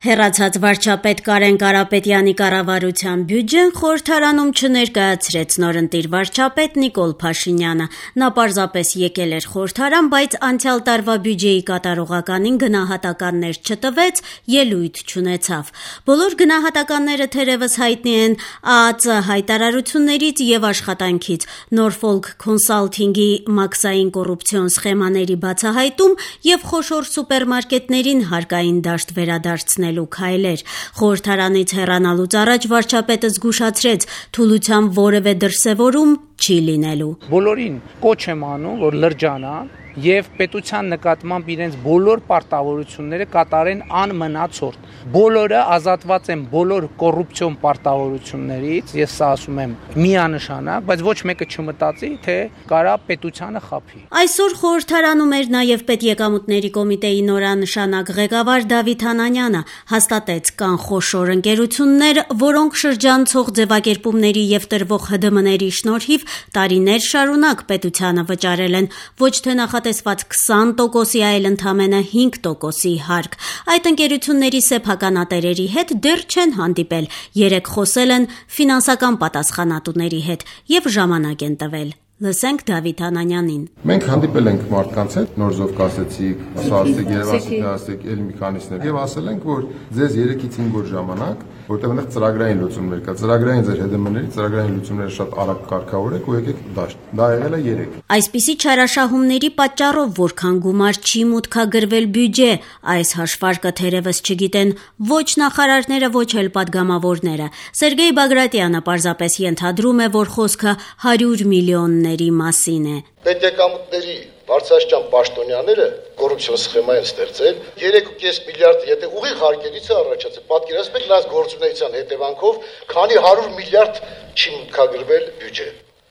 Հեռացած վարչապետ Կարեն Կարապետյանի կառավարության բյուջեն խորհրդարանում չներկայացրեց նորընտիր վարչապետ Նիկոլ Փաշինյանը: Նա պարզապես եկել էր խորհրդարան, բայց անցյալ տարվա բյուջեի կատարողականին գնահատականներ չտվեց, ելույթ չունեցավ: Բոլոր գնահատականները թերևս հայտնի են ԱԱԾ հայտարարություններից եւ աշխատանքից: Նորֆոլք Քոնսալթինգի մաքսային կոռուպցիոն սխեմաների բացահայտում եւ խոշոր սուպերմարկետներին հարկային դաշտ վերադարձնելու քայլեր: Խորհրդարանից հեռանալուց առաջ վարչապետը զգուշացրեց՝ թուլության որևէ դրսևորում չի լինելու: Բոլորին կոչ եմ անում, որ լրջանան եւ պետության նկատմամբ իրենց բոլոր պարտավորությունները կատարեն անմնացորդ: Բոլորը ազատված են բոլոր կոռուպցիոն պարտավորություններից, ես սա ասում եմ միանշանակ, բայց ոչ մեկը չմտածի, թե կարա պետությանը խաբի: Այսօր խորհրդարանում էր նաեւ Պետեկամուտների կոմիտեի նորանշանակ ղեկավար Դավիթ Անանյանը: Հաստատեց՝ կան խոշոր ընկերություններ, որոնք շրջանցող ձևակերպումների եւ տրվող ՀԴՄ-ների շնորհիվ տարիներ շարունակ պետությանը վճարել են ոչ թե նախատեսված 20%-ի, այլ ընդամենը 5%-ի հարկ: Այդ ընկերությունների սեփականատերերի հետ դեռ չեն հանդիպել, երեկ խոսել են ֆինանսական պատասխանատուների հետ եւ ժամանակ են տվել: Լսենք Դավիթ Անանյանին: Մենք հանդիպել ենք մարդկանց հետ, նոր զով կասեցիք, ասացիք, երևացիք, ասացիք, էլ մի քանիսներ եւ ասել ենք, որ ձեզ 3-ից 5 օր ժամանակ, որտեղ այնտեղ ծրագրային լուծումներ կա, ծրագրային ձեր ՀԴՄ-ների ծրագրային լուծումները շատ արագ կարգավորեք ու եկեք դաշտ: Դա եղել է 3: Այսպիսի չարաշահումների պատճառով որքան գումար չի մուտքագրվել բյուջե, այս հաշվարկը թերևս չգիտեն ոչ նախարարները, ոչ էլ պատգամավորները: Սերգեյ Բագրատյանը պարզապես ենթադրում է, որ խոսքը 100 միլիոնների մասին է: Պետեկամուտների բարձրաստիճան պաշտոնյաները կոռուպցիոն սխեմա են ստեղծել, 3.5 միլիարդ եթե ուղիղ հարկերից է առաջացել, պատկերացնեք նրանց գործունեության հետևանքով քանի 100 միլիարդ չի մուտքագրվել բյուջե: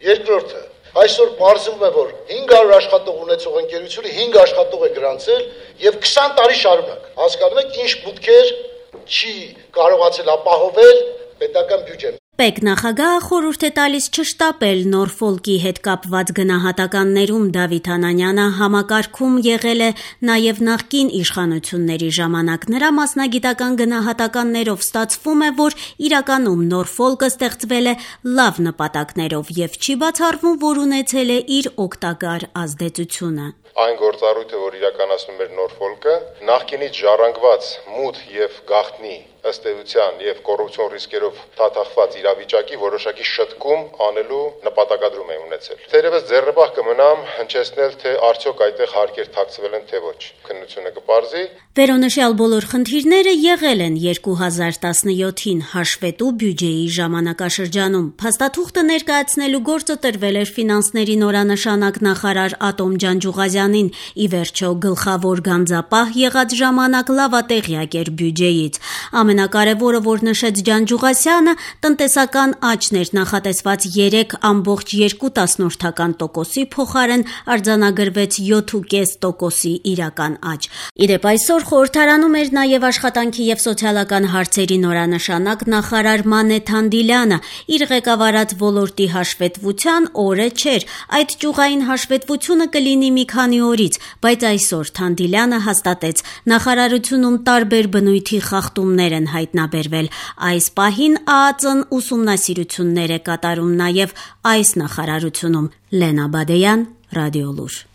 Երկրորդը, այսօր պարզվում է, որ 500 աշխատող ունեցող ընկերությունը 5 աշխատող է գրանցել եւ 20 տարի շարունակ, հասկանում եք ինչ մուտքեր չի կարողացել ապահովել պետական բյուջեն: ՊԵԿ նախագահը խորհուրդ է տալիս չշտապել Նորֆոլկի հետ կապված գնահատականներում: Դավիթ Անանյանը համակարգում եղել է նաեւ նախկին իշխանությունների ժամանակ: Նրա մասնագիտական գնահատականներով ստացվում է, որ իրականում Նորֆոլկը ստեղծվել է լավ նպատակներով եւ չի բացառվում, որ ունեցել է իր օգտակար ազդեցությունը: Այն գործառույթը, որ իրականացնում էր Նորֆոլկը, նախկինից ժառանգված մութ եւ գաղտնի ըստ էության եւ կոռուպցիոն ռիսկերով թաթախված իրավիճակի որոշակի շտկում անելու նպատակադրում է ունեցել: Թերևս ձեռնպահ կմնամ հնչեցնել, թե արդյոք այդտեղ հարկեր թաքցվել են, թե ոչ: Քննությունը կպարզի: Վերոնշյալ բոլոր խնդիրները եղել են 2017-ին հաշվետու բյուջեի ժամանակաշրջանում: Փաստաթուղթը ներկայացնելու գործը տրվել էր ֆինանսների նորանշանակ նախարար Ատոմ Ջանջուղազյանին: Ի վերջո գլխավոր գանձապահ եղած ժամանակ լավատեղյակ էր բյուջեից: Ամենակարևորը, որ նշեց Ջանջուղազյանը, տնտեսական աճն էր: Նախատեսված 3.2%-ի փոխարեն արձանագրվեց 7.5%-ի իրական աճ: Ի դեպ, այսօր խորհրդարանում էր նաեւ աշխատանքի եւ սոցիալական հարցերի նորանշանակ նախարար Մանե Թանդիլյանը: Իր ղեկավարած ոլորտի հաշվետվության օրը չէր: Այդ ճյուղային հաշվետվությունը կլինի մի քանի օրից: Բայց այսօր Թանդիլյանը հաստատեց՝ նախարարությունում տարբեր բնույթի խախտումներ են հայտնաբերվել: Այս պահին ԱԱԾ-ն ուսումնասիրություններ է կատարում նաեւ այս նախարարությունում: Լենա Բադեյան, Ռադիոլուր: